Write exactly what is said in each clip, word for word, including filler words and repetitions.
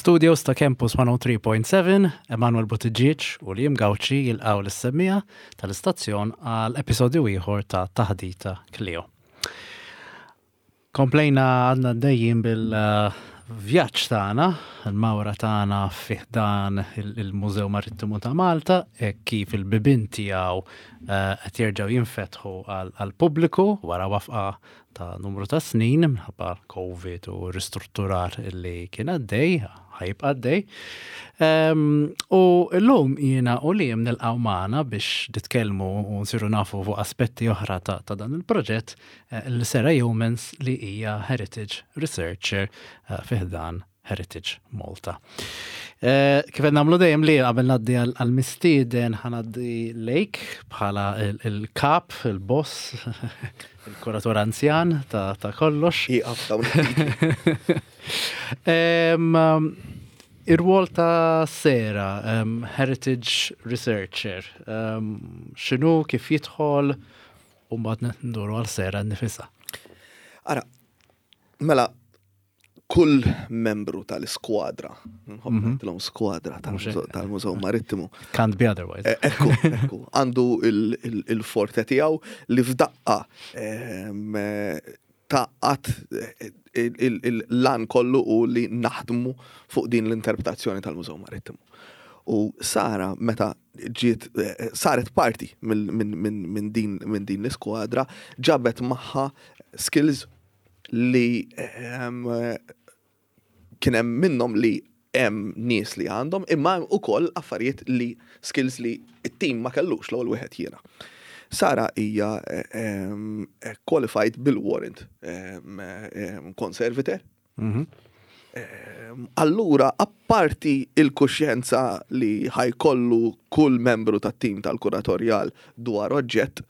Mill-studios ta' Campus mija u tlieta punt seba', Emanuel Buttigieg u Liam Gauci jilqgħu lis-semmiegħa tal-istazzjon għal episodju ieħor ta' Taħdita Kleo. Komplejna għadna dejjin bil-vjaġġ tagħna, il-mawra tagħna fi ħdan il-Mużew Marittimu ta' Malta, e kif il-bibien tiegħu eh, qed jerġgħu jinfetħu għall-pubbliku wara waqfa ta' numru ta' snin minħabba Covid u ristrutturar illi kien għaddej, ħa jibqa' għaddej. U llum jiena u Liam nilqgħu magħna biex nitkellmu u nsiru nafu fuq aspetti oħra ta', ta dan il-proġett eh, lil Sarah Yeomans, li hija Heritage Researcher eh, fi ħdan Heritage Malta. Eh, kif qed nagħmlu dejjem li qabel ngħaddi għal-mistieden, ħa ngħaddi lejk bħala il-kap, il-boss, il-kuratur anzjan ta' ta' kollox. Iqaf dawn. Em, Ir-rwol ta' Sarah, um, Heritage Researcher, um, x'inhu, kif jidħol, u mbagħad nduru għal Sarah nnifisha. Ara, mela, kull membru tal-iskwadra, nħobb ngħidilhom skwadra tal-Mużew Marittimu. Can't be otherwise. Eh, ekku, ekku, għandu il-forte tiegħu li f'daqqa taqqat l-lan kollu u li naħdmu fuq din l-interpretazzjoni tal-Mużew Marittimu. U Sara, meta ġiet, eh, saret parti minn din din l-iskwadra, ġabet magħha skills li kien hemm minnhom li hemm nies li għandhom, imma hemm ukoll affarijiet li skills li it-tim ma kellux. L-ewwel wieħed jiena. Sara hija em, qualified bil-warrant em, em, conservator. Mhm. Em, Allura, apparti il-kuxjenza li ħa jkollu kull membru tat-tim tal-kuratorjal dwar oġġett,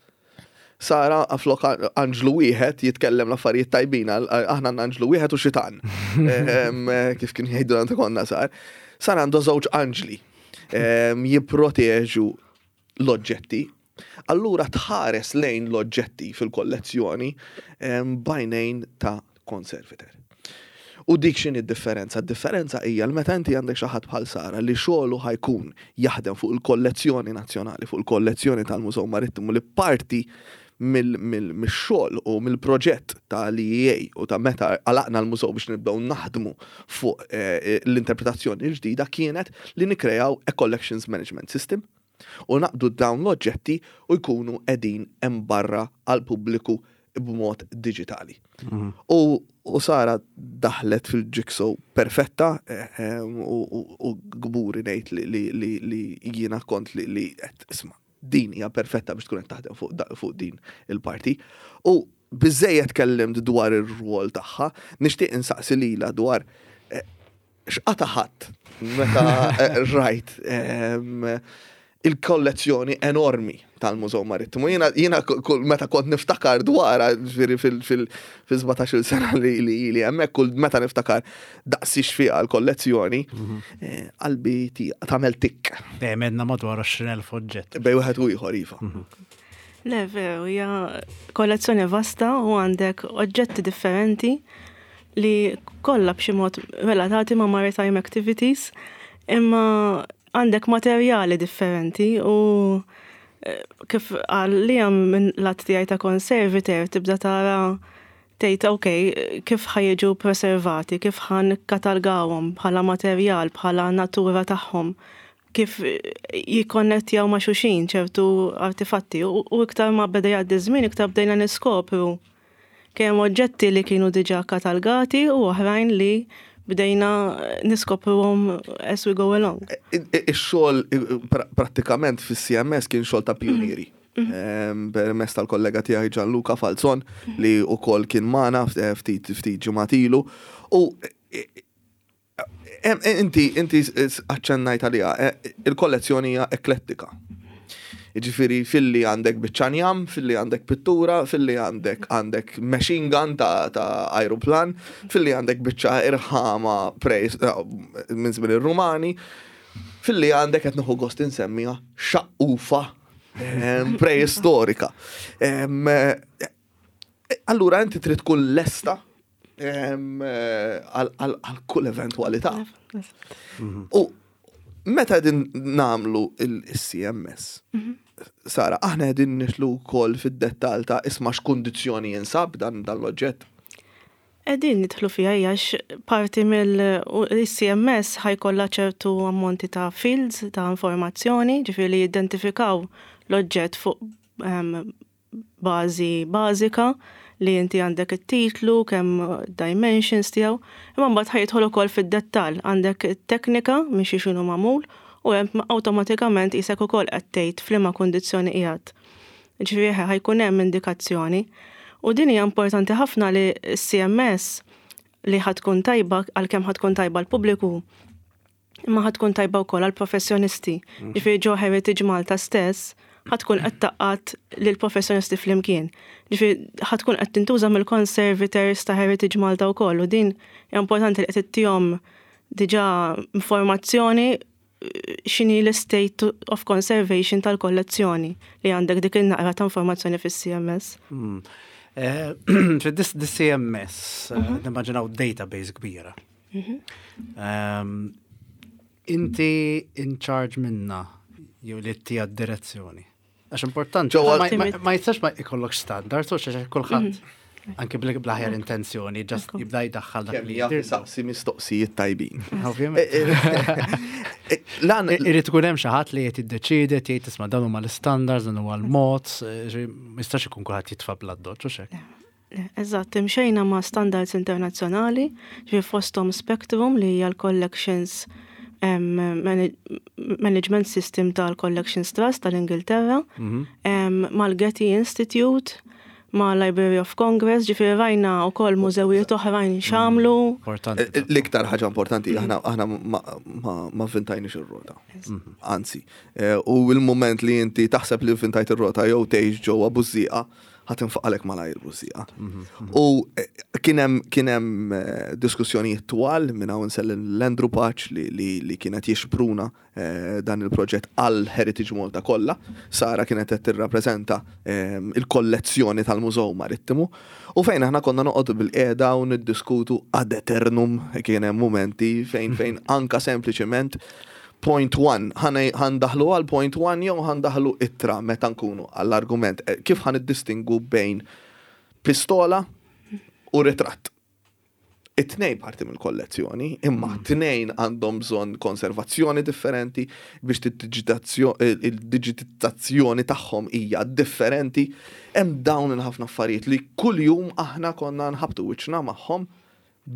Sara flok anġlu wieħed jitkellem l-affarijiet tajbin, għal- aħna għandna anġlu wieħed u xitan. Em, Kif kien jgħidu għandha konna sar. Sara għandu żewġ anġli em, jipproteġu l-oġġetti. Allura tħares lejn l-oġġetti fil-kollezzjoni em, b'għajnejn ta' conservator. U dik x'inhi d-differenza? D-differenza hija l meta inti għandek xi ħadd bħal Sara li xogħlu ħa jkun jaħdem fuq il-kollezzjoni nazzjonali, fuq il-kollezzjoni tal-Mużew Marittimu, li parti mill-xogħol u mill-proġett tal-E E A u ta' meta għalaqna l-mużew biex nibdew naħdmu fuq eh, l-interpretazzjoni l-ġdida kienet li nikrejaw a collections management system u naqdu dawn l-oġġetti u jkunu qegħdin hemm barra għal pubbliku b'mod digitali. U, u Sara daħlet fil-jigsaw perfetta eh, eh, u, u, u kburi ngħid li, li, li, li jiena kont li, li qed isma' din hija perfetta biex tkun qed taħdem fuq, da- fuq din il-parti. U biżejjed kellimt dwar ir-rwol tagħha, nixtieq insaqsi lilha dwar eh, x'qata ħadd meta eh, rajt em, il-kollezzjoni enormi tal-Mużew Marittimu. Jiena, jiena kull meta kont niftakar dwarha, ġifieri fil-sbatax-il sena li li li hemmhekk, kull meta niftakar daqsiex fiha l-kollezzjoni, eh, qalbi ti- tagħmel tikk. Dejjem għedna madwar għoxrin elf oġġett. Bejn wieħed u ieħor, iva. Le, veru, hija kollezzjoni vasta u għandek oġġetti differenti li kollha b'xi mod relatati ma' maritime activities, imma għandek materjali differenti u eh, kif għal li għam minn lat tiegħi ta' conservator tibda tara, tgħid, ok, kif ħa jiġu preservati, kif ħa nikkatalgawhom bħala materjal, bħala natura tagħhom, kif jikkonnettjaw ma' xulxin ċertu artifatti u, u iktar ma beda jgħaddi żmien, iktar bdejna niskopru kemm oġġetti li kienu diġà katalgati u oħrajn li bdejna niskopruhom as we go along. Ix-xogħol prattikament fis-C M S kien xogħol ta' pionieri. Permezz tal-kollega tiegħi Gianluca Falzon, li wkoll kien magħna ftit ftit ġimgħat ilu. U inti inti aċċennajt għaliha, il-kollezzjoni hija eklettika. Ġifieri filli għandek biċċa njam, filli għandek pittura, filli għandek għandek machine gun ta', ta aeroplan, filli għandek biċċa irħama prejs minn żmien ir-Rumani, filli għandek, qed nieħu gost insemmiha, xaqqufa preistorika. Allura inti trid tkun lesta Em, eh, Għal għal- għal kull eventualità. U meta din nagħmlu il-C M S, Sara, aħna qegħdin nidħlu wkoll fid-dettall ta' isma' x'kundizzjoni jinsab dan dan l-oġġett. Qegħdin nidħlu fiha għax parti mill-C M S ħa jkollha ċertu ammonti ta' fields ta' informazzjoni, ġifieri li jidentifikaw l-oġġett fuq em, bażi bażika li inti għandek it-titlu, kemm dimensions tiegħu, imma mbagħad ħa jidħol ukoll fid-dettall, għandek it-teknika minn xi x'inhu magħmul u hemm awtomatikament isek ukoll qed tgħid f'liema kundizzjoni qiegħed. Ġifieri ħa jkun hemm indikazzjoni. U din hija importanti ħafna li C M S li ħa tkun tajba għalkemm ħa tkun tajba l-pubbliku, imma ħa tkun tajba wkoll għall-professjonisti. Ġifieri ġo Heritage Malta stess ħa tkun qed tgħaqqad lill-professjonisti flimkien. Ġifieri ħa tkun qed tintuża mill-conservators ta' Heritage Malta wkoll u din hija importanti li qed ittihom diġà informazzjoni x'inhi l-state of conservation tal-kollezzjoni li għandek dik il-naqra ta' informazzjoni fis-C M S. Mm. Eh, Fid-dis C M S, eh, nimmaġinaw database kbira. Ehm, Inti in charge minna jew li tija direzzjoni? Għax importanti, Ġewwa- ma- ma- ma jistax ma jkollok standard, u xax kulħadd anke bl-aħjar intenzjoni, just jibda jdaħħal dak Kemm li jaf jidhirlu. saqsi mistoqsijiet tajbin. Ovvjament. Eh, Lan, Irid ikun hemm xi ħadd li qed jiddeċiedi, jgħid, "Isma', dan huma l-standards, dan huwa l-mod," eh, ma jistax ikun kulħadd jitfa' bl-addoċċ u xek. Eżatt, imxejna ma' standards internazzjonali, ġifieri fosthom Spectrum li hija l-Collections em, manag- Management System tal-Collections Trust tal-Ingilterra, em, mal-Getty Institute, ma' Library of Congress, ġifieri rajna wkoll mużewijiet oħrajn x'għamlu. Importanti. Eh, L-iktar ħaġa importanti, aħna aħna ma, ma, ma vvintajniex ir-rota. Anzi, eh, u il-moment li inti taħseb li vvintajt ir-rota jew tgħix ġewwa bużżieqa, ħa tinfaqalek malajr bużżieqa. U eh, kien hemm kien hemm eh, diskussjonijiet twal minn hawn insellem l-Andrew Pace li, li, li kienet jixpruna eh, dan il-proġett għal Heritage Malta kollha. Sara kienet qed tirrappreżenta eh, il-kollezzjoni tal-Mużew Marittimu u fejn aħna konna noqogħdu bil-qiegħda u niddiskutu ad eternum. Kien hemm momenti fejn fejn anka sempliċement point one, ħa ndaħħlu għal point one jew ħa ndaħħlu ittra meta nkunu għall-argument, eh, kif ħa niddistingwu bejn pistola u ritratt? It-tnejn parti mill-kollezzjoni, imma t-tnejn għandhom bżonn konservazzjoni differenti biex il-digitizzazzjoni tagħhom hija differenti. Hemm dawn il-ħafna affarijiet li kuljum aħna konna nħabtu wiċċna magħhom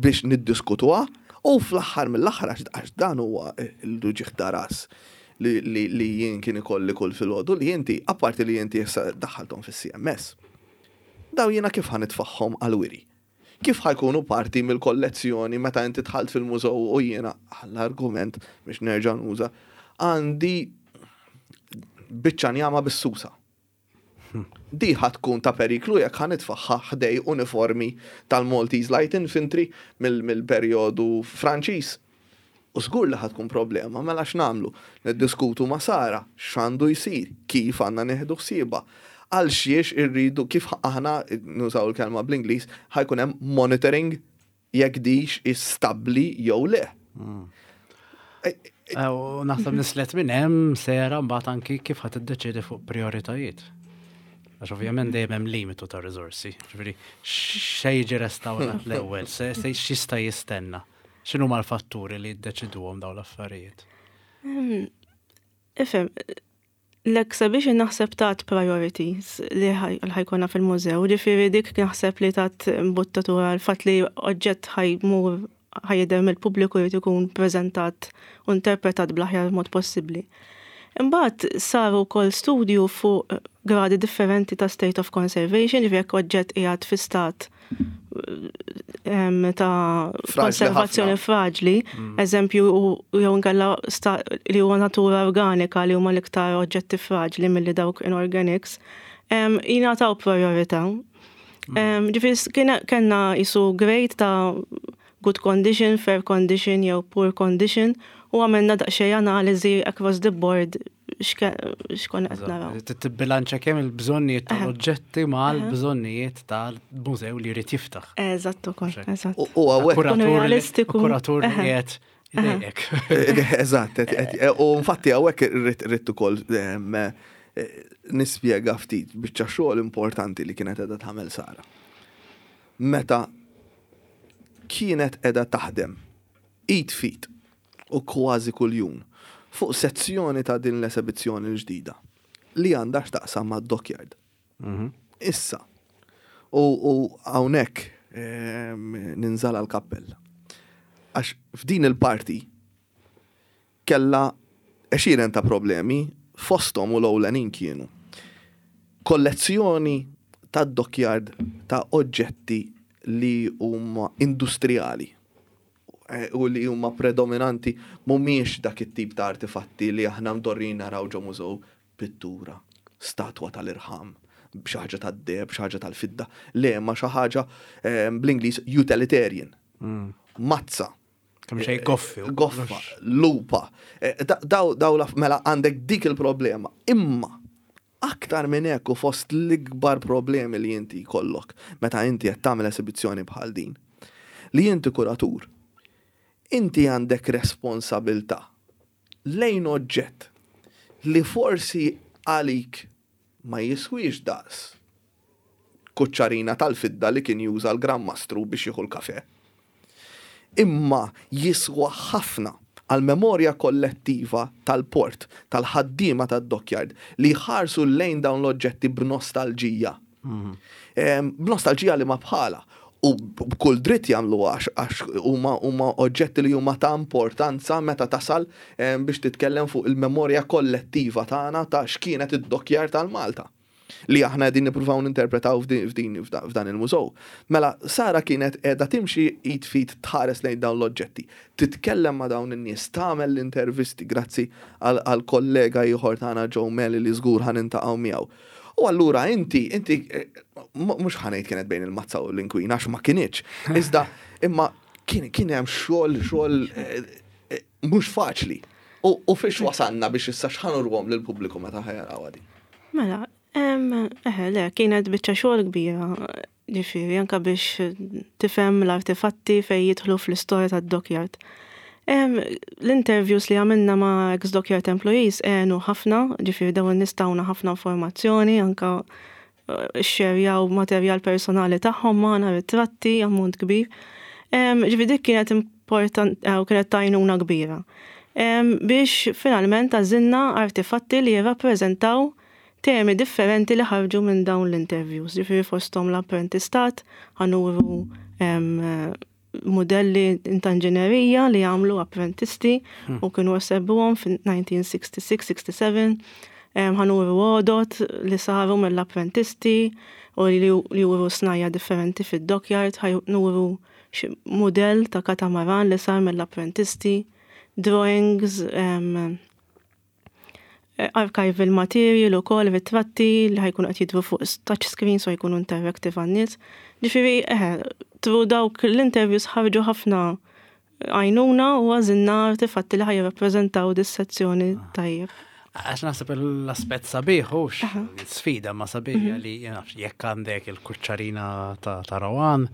biex niddiskutuha u fl-aħħar mill-aħħar, għax għax dan huwa l-uġigħ ta' ras li, li, li jien kien ikolli kull filgħodu, li inti, apparti li inti issa daħħalthom fis-C M S. Daw jiena kif ħa nitfagħhom għal-wiri? Kif ħa jkunu parti mill-kollezzjoni meta inti dħalt fil-mużew u jiena, għall-argument biex nerġa' nuża, għandi biċċa njama bis-susa? Di ħa tkun ta' periklu jekk ħa nitfagħha ħdejn uniformi tal-Maltese Light Infantry mill-perjodu Franċiż. U żgur li ħa tkun problema, mela x'nagħmlu? Niddiskutu ma' Sara, x'għandu jsir, kif għandna nieħdu ħsiebha. Għal xiex irridu, kif aħna nużaw il-kelma bl-Ingliż, ħa jkun hemm monitoring jekk dix stabbli jew le. Eh, Eh, U naħseb nislet minn hemm sera mbagħad anki kif ħa tiddeċiedi fuq prioritajiet. Għax ovvjament dejjem hemm limitu ta' riżorsi. Ġifieri xejn jiġi restawrat l-ewwel, se se x'jista' jistenna. X'inhu l-fatturi li jiddeċiduhom dawn l-affarijiet? Ifhem, l-exhibition naħseb tat priorities li ħa jkollna fil-mużew, ġifieri dik naħseb li tat imbuttatura l-fatt li oġġett ħa jmur ħa jidher mill-pubbliku jrid ikun preżentat u interpretat bl-aħjar mod possibbli. Imbagħad saru wkoll studju fuq gradi differenti ta' state of conservation, ġifieri jekk oġġett qiegħed fi stat em, ta' Fraġli konservazzjoni ħafna. fraġli, eżempju, u jew inkella sta- li huwa natura organika, li huma l-iktar oġġetti fraġli milli dawk inorganics, em, jingħataw priorità. Em, Ġifieri kien- kellna jisu grade ta' good condition, fair condition jew poor condition u għamilna daqsxejn analiżi across the board x'konna qed naraw. Tibbilanċa kemm il-bżonnijiet tal-oġġetti ma' l-bżonnijiet tal-mużew li jrid jiftaħ. Eżatt ukoll, eżatt. U hawnhekk realistiku. Kuratur li qiegħed idejqek. Eżatt, u infatti hawnhekk irrid ukoll nispjega ftit biċċa xogħol importanti li kienet qiegħda tagħmel Sara. Meta kienet qiegħda taħdem id f'id u kważi kuljum fuq sezzjoni ta' din l-esebizzjoni l-ġdida li għandha x'taqsam ma' dockyard. Issa, u hawnhekk ninżala l-kappell. Għax f'din il-parti kella għexieren ta' problemi, fosthom u l-ewlenin kienu kollezzjoni ta' dockyard ta' oġġetti li huma industrijali u li huma predominanti mhumiex dak it-tip ta' artefatti li aħna mdorrin naraw ġo mużew, pittura, statwa tal-irħam, xi ħaġa tad-deheb, xi ħaġa tal-fidda, le ma xi ħaġa bl-Ingliż utilitarian. Mazza. Kemm xejn goffi. Goffa, lupa. Daw daw mela għandek dik il-problema. Imma aktar minn hekk u fost l-ikbar problemi li inti jkollok meta inti qed tagħmel esibizzjoni bħal din, li inti kuratur, inti għandek responsabilta lejn oġġett li forsi għalik ma jiswix daqs kuċċarina tal-fidda li kien juża l-Gran Mastru biex jieħu l-kafe. Imma jiswa ħafna għal-memorja kollettiva tal-port, tal-ħaddiema tad-dockyard li ħarsu lejn dawn l-oġġetti b'nostalġija. B'nostalġija li ma bħala. U b'kull dritt jagħmlu għax għax huma huma oġġetti li huma ta' importanza meta tasal biex titkellem fuq il-memorja kollettiva tagħna ta' x'kienet id-dockyard tal-Malta li aħna qegħdin nippruvaw ninterpretaw f'din f'dan il-mużew. Mela Sara kienet qiegħda timxi id f'id tħares lejn dawn l-oġġetti, titkellem ma' dawn in-nies, tagħmel l-intervisti grazzi għal kollega ieħor tagħna Joe Meli li żgur ħa niltaqgħu miegħu. U allura inti, inti, mhux ħa ngħid kienet bejn il-mazza u l-inkwina, għax ma kinitx. Iżda, imma kien kien hemm xogħol xogħol mhux faċli. U fiex wasalna biex issa x'ħa nuruhom lill-pubbliku meta ħa jaraw din? Mela, eħe, le, kienet biċċa xogħol kbira, ġifieri, anka biex tifhem l-artefatti fejn jidħlu fl-istorja tad-dockyard. L-interviews li għamilna ma' ex-dockyard employees għenu ħafna, ġifieri dawn in-nies tawna ħafna informazzjoni, anka xxerjaw materjal personali tagħhom magħna, ritratti, ammont kbir. Ġifieri dik kienet important, kienet tajnuna kbira. Biex finalment għażilna artefatti li jirrappreżentaw temi differenti li ħarġu minn dawn l-interviews. Ġifieri fosthom l-apprentistat, ħa nuru modelli ta' inġinerija li għamlu apprentisti u kienu għasebbuhom fin-nineteen sixty-six, sixty-seven. Ħa nuru għodot li saru mill-apprentisti u li juru snajja differenti fid-dockyard, ħa nuru modell ta' katamaran li sar mill-apprentisti, drawings, archival material u kol, ritratti li ħa jkunu qed jidhru fuq touch screen so jkunu interactive għan-nies. Ġifieri, eħe, through dawk l-interviews ħarġu ħafna għajnuna u għażilna artefatti li ħa jirrappreżentaw dis-sezzjoni tajjeb. Għax naħseb l-aspett sabiħ, hux sfida ma sabiħ li jekk għandek il-kuċċarina ta' Rawan,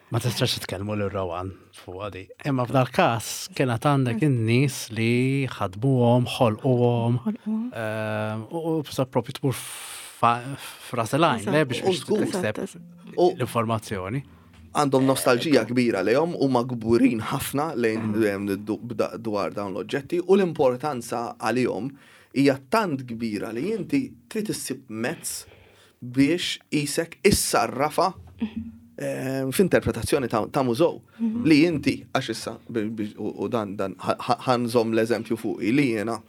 ma tistax titkellmu lil Rawan fuq għadi. Imma f'dal każ kienet għandek in-nies li ħadmuhom, ħolquhom, u sa propju tmur f'ras il-għajn, le biex biex tikseb l-informazzjoni. Għandhom nostalġija kbira lejhom u magburin ħafna lejn dwar dawn l-oġġetti u l-importanza għalihom hija tant kbira li inti trid issib mezz biex isek issarrafa f'interpretazzjoni ta' mużew li inti għax issa u dan dan ħa nżomm l-eżempju fuqi li jiena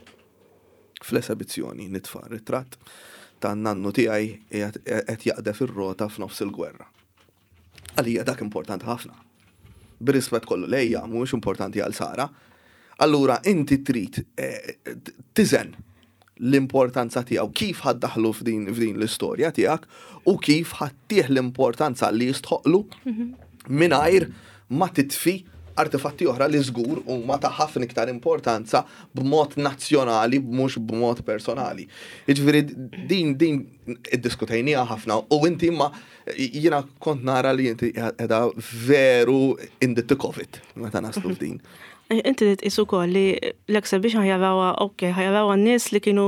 fl-esebizzjoni nitfa' ritratt ta' nannu tiegħi qed jaqdef ir-rota f'nofs il-gwerra. Għalija dak importanti ħafna. Bir-rispett kollu lejja mhuwiex importanti għal Sara. Allura inti trid tiżen l-importanza tiegħu, kif ħa ddaħħlu f'din, f'din l-istorja tiegħek u kif ħa ttih l-importanza li jistħoqlu mingħajr ma titfi artefatti oħra li żgur huma ta' ħafna iktar importanza b'mod nazzjonali, mhux b'mod personali. Jiġifieri din din iddiskutejniha ħafna u inti, imma jiena kont nara li inti qiegħda veru in the thick of it meta naslu f'din. Inti tqis ukoll li l-exhibition ħa jarawha, ok, ħa jarawha n-nies li kienu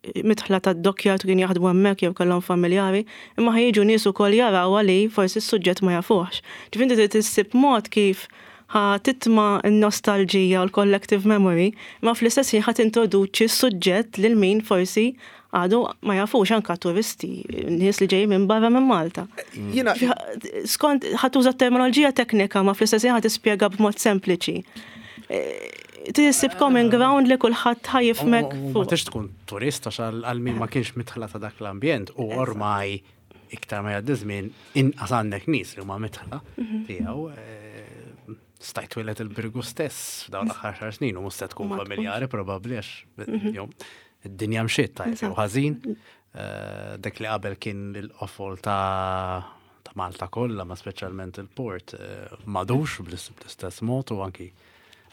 midħla ta' dockyard, kienu jaħdmu hemmhekk jew kellhom familjari, imma ħa jiġu nies ukoll jarawha li forsi s-suġġett ma jafuhx. Ġifieri inti trid issib mod kif ħa titma' n-nostalġija u l-collective memory, imma fl-istess ħin ħa tintroduċi s-suġġett lil min forsi għadu ma jafux, anka turisti, nies li ġej minn barra minn Malta. Jiena Skont ħa tuża terminoloġija teknika, ma fl-istess ħin ħa tispjega b'mod sempliċi. Issib common ground li kulħadd ħa jifhmek. Ma tix tkun turist, għax għal min ma kienx midħla ta' dak l-ambjent, u ormai iktar ma jgħaddi żmien inqas għandek nies li huma midħla tiegħu. eh, Stajt twieled il-Birgu stess f'dawn l-aħħar xar snin u mhux se tkun familjari probabbli, għax id-dinja mxiet tajjeb jew ħażin. Eh, dak li qabel kien il-qofol ta' ta' Malta kollha, ma speċjalment il-port, eh, m'għadux bl-istess mod, u anki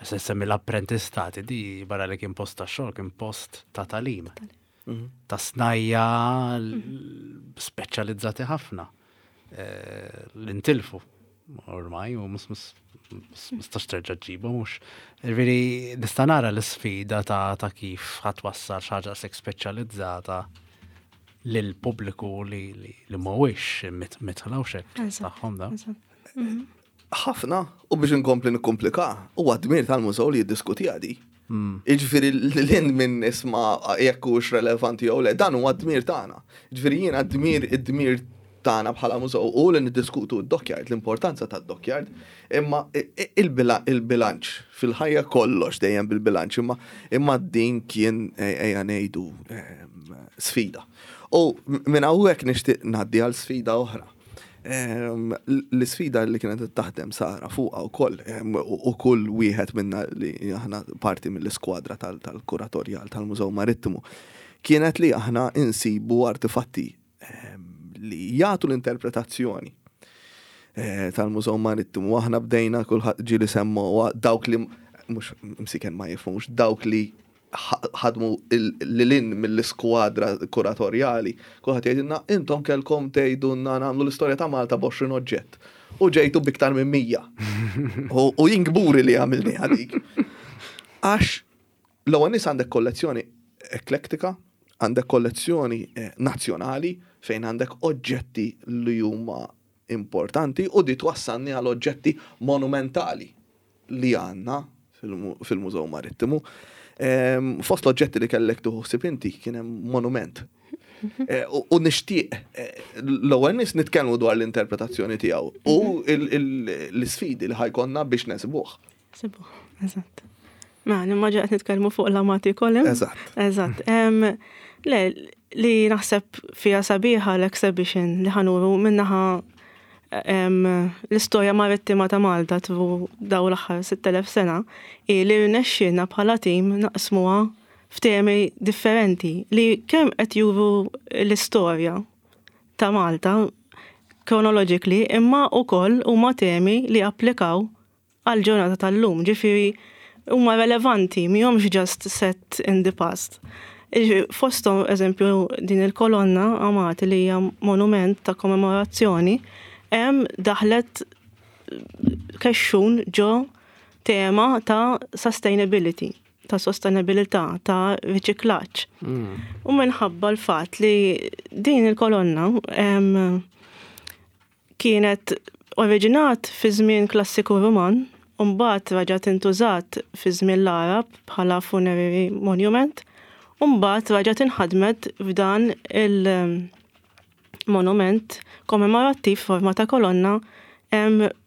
se semmi l-apprentistati di, barra li kien post ta' xogħol, kien post ta' tagħlim. Ta' snajja speċjalizzati ħafna. Eh, L-intilfu ormai u mus mus mistax terġa' ġibu mhux. Ġifieri nista' nara l-isfida ta' ta' kif ħa twassal xi ħaġa hekk speċjalizzata lil pubbliku li li li mhuwiex midħla u xek tagħhom da. Ħafna, u biex inkompli nikkomplika, huwa dmir tal-mużew li jiddiskuti għadi. Jiġifieri l-in minn isma jekk hux relevanti jew le, dan huwa dmir tagħna. Jiġifieri jiena dmir id-dmir tagħna bħala mużew u li niddiskutu d-dockyard, l-importanza tad-dockyard, imma il-bilanċ fil-ħajja, kollox dejjem bil-bilanċ, imma imma din kien, ejja ngħidu, sfida. U minn hawnhekk nixtieq ngħaddi għal sfida oħra. L-sfida li kienet taħdem Sara fuqha wkoll u kull wieħed minna li aħna parti mill-iskwadra tal-kuratorjal tal-Mużew Marittimu kienet li aħna insibu artefatti li jagħtu l-interpretazzjoni eh, tal-Mużew Marittimu. Aħna bdejna, kulħadd ġieli semmu dawk li mhux msiken ma jifhmux, dawk li ħadmu l-lin mill-iskwadra kuratorjali, kulħadd jgħidilna, "Intom kellkom tgħidulna nagħmlu l-istorja ta' Malta b'għoxrin oġġett. U ġejtu b'iktar minn mija." U jien kburi li għamilni għadik. Għax l-ewwel nies għandek kollezzjoni eklektika, għandek kollezzjoni eh, nazzjonali fejn għandek oġġetti li huma importanti, u di twassalni għal oġġetti monumentali li għandna fil-Mużew Marittimu. Fost l-oġġetti li kellek tuħsib inti kien hemm monument. Eh, u nixtieq eh, l-ewwel nies nitkellmu dwar l-interpretazzjoni tiegħu u l-isfidi li ħa jkollna biex nesibuh. Sibuh, eżatt. Ma, nimmaġina qed nitkellmu fuq l-Amati Column. Eżatt. Eżatt. Le, li naħseb fija sabiħa l-exhibition li ħa nuru min-naħa l-istorja marittima ta' Malta tul daw l-aħħar sitt elef sena i li rnexxielna bħala tim naqsmuha f'temi differenti li kemm qed juru l-istorja ta' Malta chronologically, imma wkoll huma temi li applikaw għal ġurnata tal-lum, ġifieri huma relevanti, mhumiex just set in the past. Fostom, eżempju, din il-kolonna Amati li hija monument ta' kommemorazzjoni, hemm daħlet kexxun ġo tema ta' sustainability, ta' sostenibilità, ta' riċiklaġġ. Mm. U minħabba l-fatt li din il-kolonna kienet oriġinat fi żmien klassiku Roman, u mbagħad raġat intużat fi żmien l-Arab bħala funerary monument, u mbagħad raġat inħadmet f'dan il- monument kommemorattiv forma ta' kolonna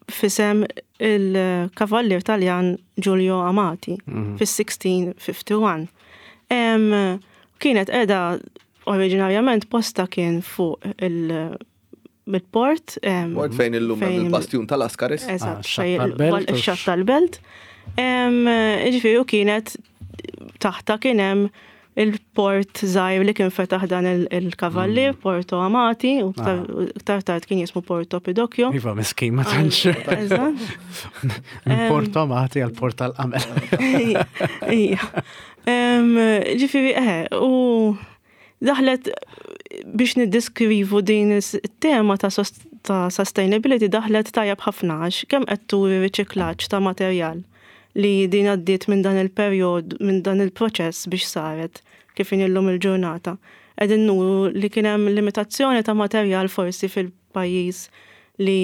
f'isem il-kavallier Taljan Giulio Amati mm. fis-sixteen fifty-one. Kienet edha oriġinarjament posta kien fuq il- il-port. Port fejn illum il-bastjun tal-Askaris. Eżatt, ix-xatt tal-belt. Ġifieri u kienet taħta kien hemm il-port żgħir li kien fetaħ dan il-kavallier, mm. Porto Amati, u iktar tard kien jismu Porto Pidocchio. Iva, miskin, ma tantx. Porto Amati għal port tal-qamel. Ija. Ġifieri, eh, u daħlet biex niddiskrivu din it-tema ta' ta' sustainability, daħlet tajjeb ħafna għax kemm qed turi riċiklaġġ ta' materjal li din għaddiet minn dan il-perjod, minn dan il-proċess biex saret kif illum il-ġurnata. Qegħdin nuru li kien hemm limitazzjoni ta' materjal forsi fil-pajjiż li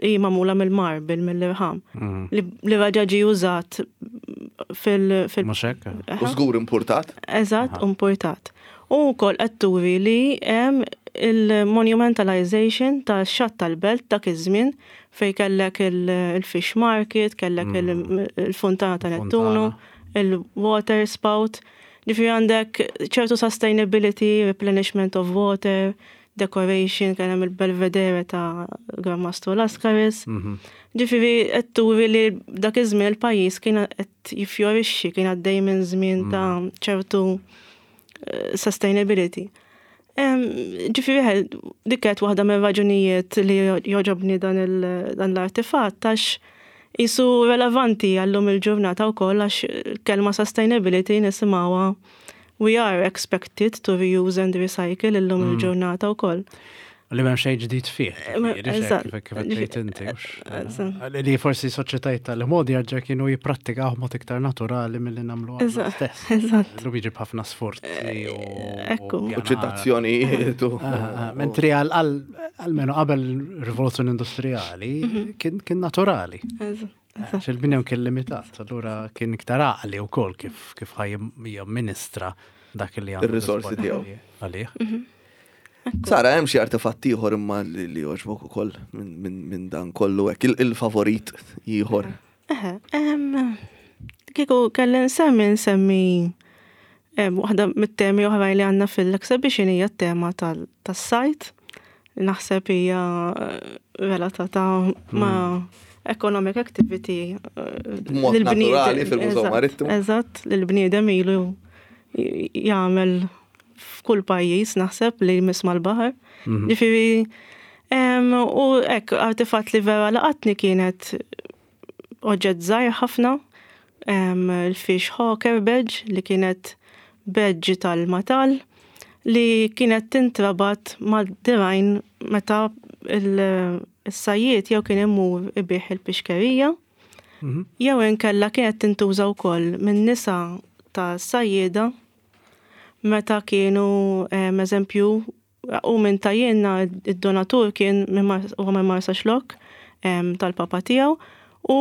hi magħmula mill-marble, mill-irħam, mm. li reġa' ġie użat fil- fil U żgur importat? Eżatt, importat. U wkoll qed turi li hemm il-monumentalization ta' xatt tal-belt dak iż-żmien fej kellek il-fish market, kellek mm. il-fontana ta' Nettuno, il-water spout. Ġifieri għandek ċertu sustainability, replenishment of water, decoration, kien hemm il-belvedere ta' Gran Mastru Lascaris. Mhm. Ġifieri qed turi li dak iż-żmien il-pajjiż kien qed jiffjorixxi, kien għaddej minn żmien ta' mm. ċertu eh, sustainability. Ġifieri dik kienet waħda minn raġunijiet li jogħġobni dan l-artifatt għax jisu relevanti għallum il-ġurnata wkoll, għax kelma sustainability nisimgħuha, we are expected to reuse and recycle illum mm. il-ġurnata wkoll. Li m'hemm xejn ġdid fih. Kif tgħid inti. Li forsi soċjetajiet tal-modi għarġa kienu jipprattikaw mod iktar naturali milli nagħmlu stess. Eżatt. Lu jiġi b'ħafna sforzi u. Ekku. U ċitazzjonijiet. Mentri għalmenu qabel rivoluzzjoni industrijali mhm. kien naturali. Għax il-bniedem kien limitat, allura kien iktar għaqli u kol kif kif ħa jamministra dak li għandu. Il-risorsi tiegħu. Għalih. Mhm. Sara, hemm xi artefatt ieħor imma li jogħġbok ukoll minn dan kollu hekk, il-favorit ieħor? Eħe, kieku kelli nsemmi nsemmi waħda mit-temi oħrajn li għandna fil-exhibition hija t-tema tas-sajd. Naħseb hija eh, relatata ma' hmm. economic activity. Eh, Mod naturali fil-Mużew Marittimu. Eżatt, li l-bniedem ilu jagħmel f'kull pajjiż naħseb li jmiss mal-baħar. Mhm. Ġifieri u hekk artifatt li vera laqatni kienet oġġett żgħir ħafna, il-fish hawker badge, li kienet badge tal-matal li kienet tintrabat mad-dirgħajn meta il-sajjiet jew kien imur ibigħ il-pixkerija mhm. jew inkella kienet tintuża wkoll minn nisa ta' sajjieda meta kienu, eżempju, u minn tajjena id-donatur kien u minn Marsaxlokk tal-papa tiegħu, u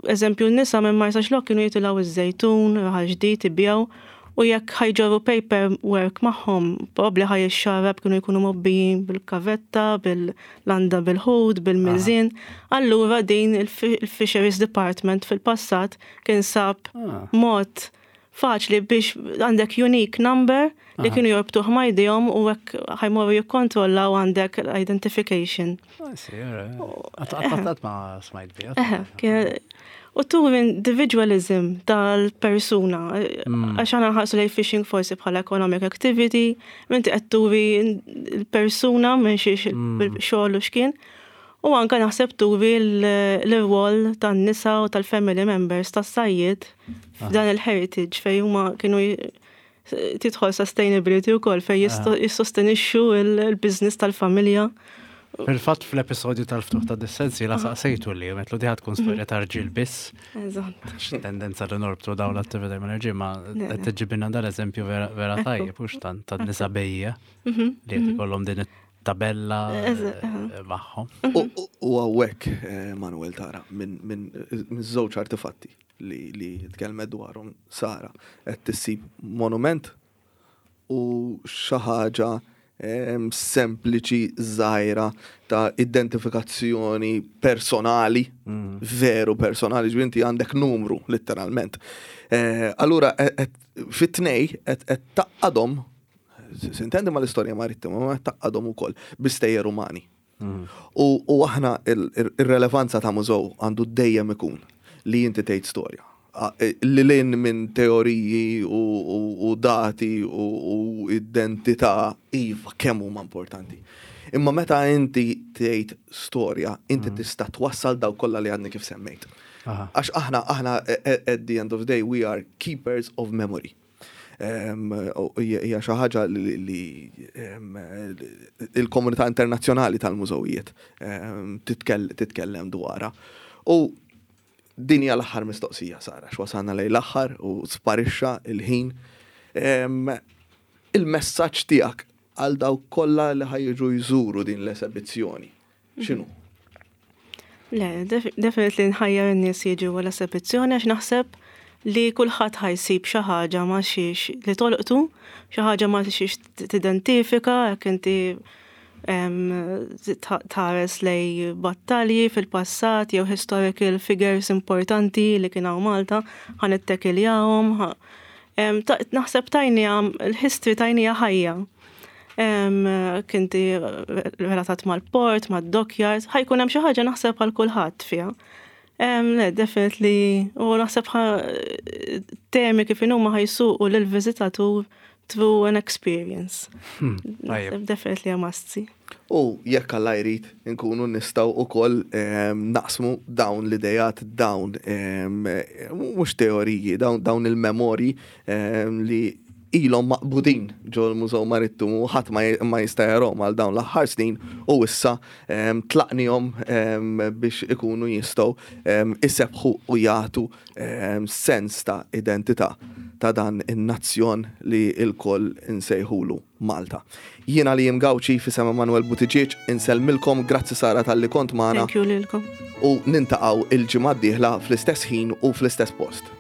eżempju n-nisa minn Marsaxlokk kienu jitilgħu iż-Żejtun, Raħal Ġdid, ibigħu, u jekk ħa jġorru paperwork magħhom, probabbli ħa jixxarrab, kienu jkunu mgħobbijin bil-kavetta, bil-landa bil-ħut, bil-miżien. Allura din il-Fisheries Department fil-passat kien sab ah. mod faċli biex għandek unique number li kienu jorbtuh ma' jdejhom u hekk ħa jmorru jikkontrollaw għandek identification. Għat ma smajt bija. U turi individualism tal-persuna, mm. għax aħna nħarsu lejn fishing forsi bħala economic activity, minti qed turi l-persuna minn xiex mm. xogħol u x'kien. U anka naħseb turi l-rwol tan-nisa u tal-family members tas-sajjied f'dan il-heritage fej huma kienu tidħol sustainability u kol fej jissostenixxu il-business tal-familja. Fil-fatt fl-episodju tal-ftuħ ta' dis-sensi la saqsejtu li metlu diħat tkun storja ta' rġiel biss. Eżatt. Tendenza li norbtu daw l-attività ma' rġiel, ma qed tiġibina dal-eżempju vera tajjeb hux ta' nisa bejja mhm, li qed mhm. ikollhom din tabella eh, magħhom. U hawnhekk, eh, Manuel, tara minn żewġ artefatti li li tkellmet dwarhom Sara qed tissib monument u xi ħaġa sempliċi, żgħira, ta' identifikazzjoni personali, mm. veru personali, ġifieri inti għandek numru, letteralment. Eh, allura, fit-tnej, qed tgħaqqadhom, sintendi, ma l-istorja marittima, ma tgħaqqadhom ukoll bi stejjer umani. Mm. U aħna il-relevanza ta' mużew għandu dejjem ikun li inti tgħid storja. Li lejn minn teoriji u, u, u dati u, u identità, iva, kemm huma importanti. Imma meta inti tgħid storja, inti tista' twassal daw kollha li għadni kif semmejt. Aha. Għax aħna, aħna, at the end of the day, we are keepers of memory. Em, u Hija hija xi ħaġa li li, em, il-komunità internazzjonali tal-mużewijiet em, titkell- titkellem dwarha. U din hija l-aħħar mistoqsija, Sara, x'wasalna lejn l-aħħar u sparixxa il-ħin. Em, Il-messaġġ tiegħek għal dawk kollha li ħa jiġu jżuru din l-esebizzjoni. X'inhu? Le, def- definitely nħajjar in-nies jiġu għal esebizzjoni għax naħseb li kulħadd ħa jsib xi ħaġa ma xiex li tolqtu, xi ħaġa ma xiex tidentifika, jekk inti em, ta- tħares lej battalji fil-passat jew historical figures importanti li kien hawn Malta, ħa nittekiljahom. ħa- em, ta- Naħseb tajnija, il-history tajnija ħajja. Em, Kinti relatat mal-port, mad-dockyard, ħa jkun hemm xi ħaġa naħseb għal kulħadd fiha. Em, Le, definitely, u naħseb ħa- temi kif inhuma ħa jsuqu lill-viżitatur through an experience. Tajjeb. Naħseb definitely a must see. U jekk Alla jrid nkunu nistgħu ukoll em, naqsmu dawn l-idejat, dawn em, mhux teoriji, dawn, dawn il-memori em, li ilhom maqbudin ġo l-Mużew Marittimu, ħadd ma ma jista' jarahom għal dawn l-aħħar snin u issa em, tlaqnihom em, biex ikunu jistgħu em, isebħu u jagħtu em, sens ta' identità ta' dan in-nazzjon li il-koll insejħulu Malta. Jiena li Gauci f'isem Manuel Buttigieg insellmilkom, grazzi Sara talli kont magħna Thank you lilkom. u niltaqgħu il-ġimgħa d-dieħla fl-istess ħin u fl-istess post.